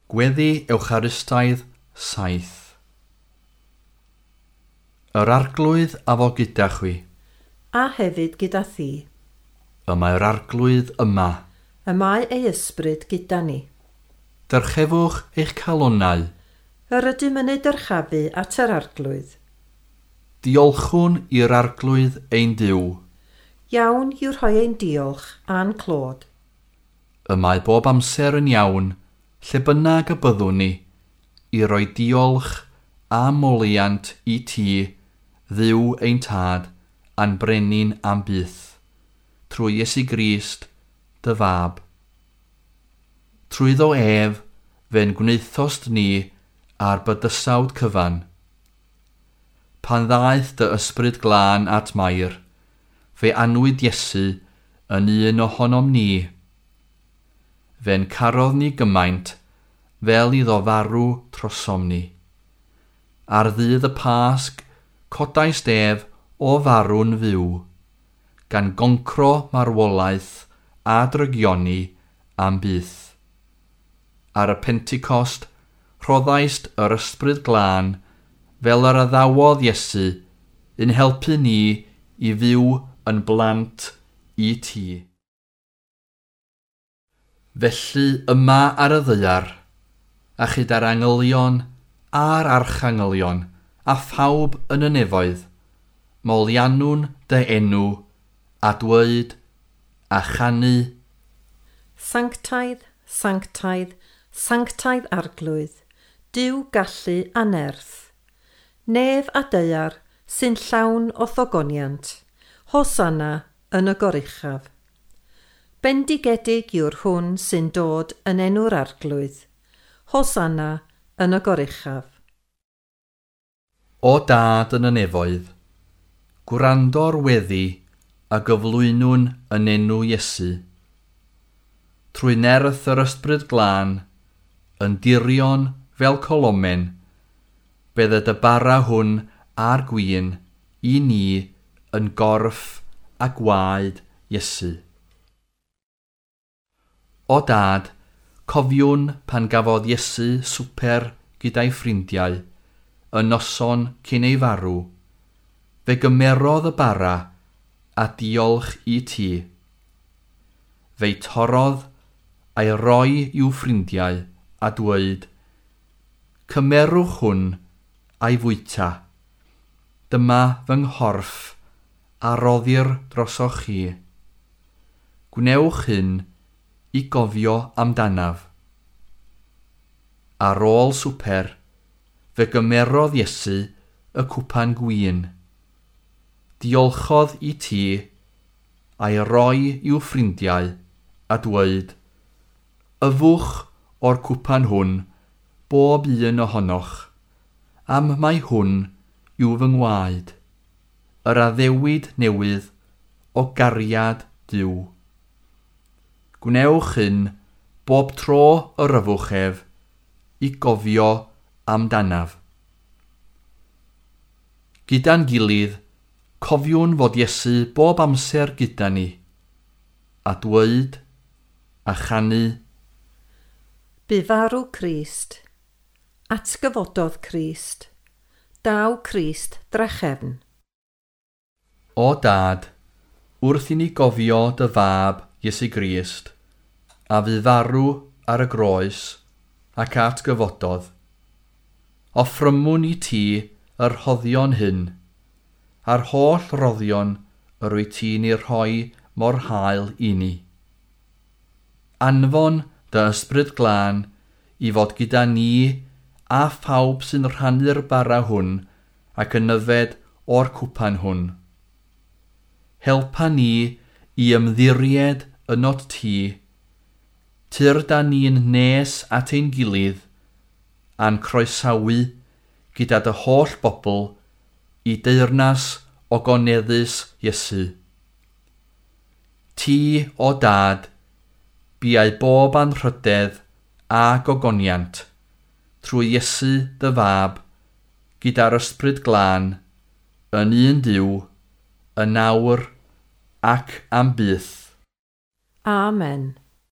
Gweddi Ewcharistaidd 7. Yr Arglwydd a fo gyda chwi. A hefyd gyda thi. Y mae'r Arglwydd yma. Y mae ei ysbryd gyda ni. Dyrchefwch eich calonnau. Yr ydym yn ei dyrchafu at yr Arglwydd. Diolchwn i'r Arglwydd ein Duw. Iawn yw rhoi ein diolch a'n clod. Y mae bob amser yn iawn, lle bynnag y byddwn ni, i roi diolch a moliant i ti, Dduw ein tad, a'n brenin am byth, trwy Iesu Grist, dy fab. Trwyddo ef, fe'n gwnaethost ni a'r bydysawd cyfan. Pan ddaeth dy ysbryd glân at Mair, fe anwyd Iesu yn un ohonom ni. Fe'n carodd ni gymaint fel iddo farw trosom ni. Ar ddydd y Pasg, codais ef o farw'n fyw, gan goncro marwolaeth a drygioni am byth. Ar y Pentecost, rhoddaist yr ysbryd glân fel yr addawodd Iesu yn helpu ni i fyw yn blant i ti. Felly yma ar y ddaear, a chyda'r angylion a'r archangylion, a phawb yn y nefoedd, moliannwn dy enw, a dweud, a chanu. Sanctaidd, sanctaidd, sanctaidd Arglwydd, Duw gallu a nerth. Nef a daear sy'n llawn o ddogoniant, Hosanna yn y goruchaf. Bendigedig yw'r hwn sy'n dod yn enw'r Arglwydd. Hosanna yn y goruchaf. O Dad yn y nefoedd, gwrando'r weddi a gyflwynwn yn enw Iesu. Trwy nerth yr ysbryd glân, yn dirion fel colomen, bydd y bara hwn a'r gwin i ni yn gorff a gwaed Iesu. O Dad, cofiwn pan gafodd Iesu swper gyda'i ffrindiau, y noson cyn ei farw, fe gymerodd y bara a diolch i ti. Fe'i torrodd a'i roi i'w ffrindiau a dweud, cymerwch hwn a'i fwyta. Dyma fy nghorff a roddir drosoch chi. Gwnewch hyn i gofio amdanaf. Ar ôl swper, fe gymerodd Iesu y cwpan gwin. Diolchodd i ti a'i roi i'w ffrindiau a dweud, yfwch o'r cwpan hwn bob un ohonoch, am mai hwn yw fy ngwaed, yr addewid newydd o gariad Duw. Gwnewch hyn bob tro yr yfwch ef i gofio amdanaf. Gyda'n gilydd, cofiwn fod Iesu bob amser gyda ni, a dweud a chanu. Bu farw Crist, atgyfododd Crist, daw Crist drachefn. O Dad, wrth i ni gofio dy fab Iesu Grist, a fu farw ar y groes ac atgyfododd, offrymwn i ti yr rhoddion hyn, a'r holl roddion yr wyt ti'n ei rhoi mor hael i ni. Anfon dy ysbryd glân i fod gyda ni a phawb sy'n rhannu'r bara hwn ac yn yfed o'r cwpan hwn. Helpa ni i ymddiried ynot ti, tyrd â ni'n nes at ein gilydd, a'n croesawu gyda dy holl bobl i deyrnas ogoneddus Iesu. Ti, o Dad, biau bob anrhydedd a gogoniant, trwy Iesu dy fab, gyda'r ysbryd glân, yn un Duw, yn awr ac am byth. Amen.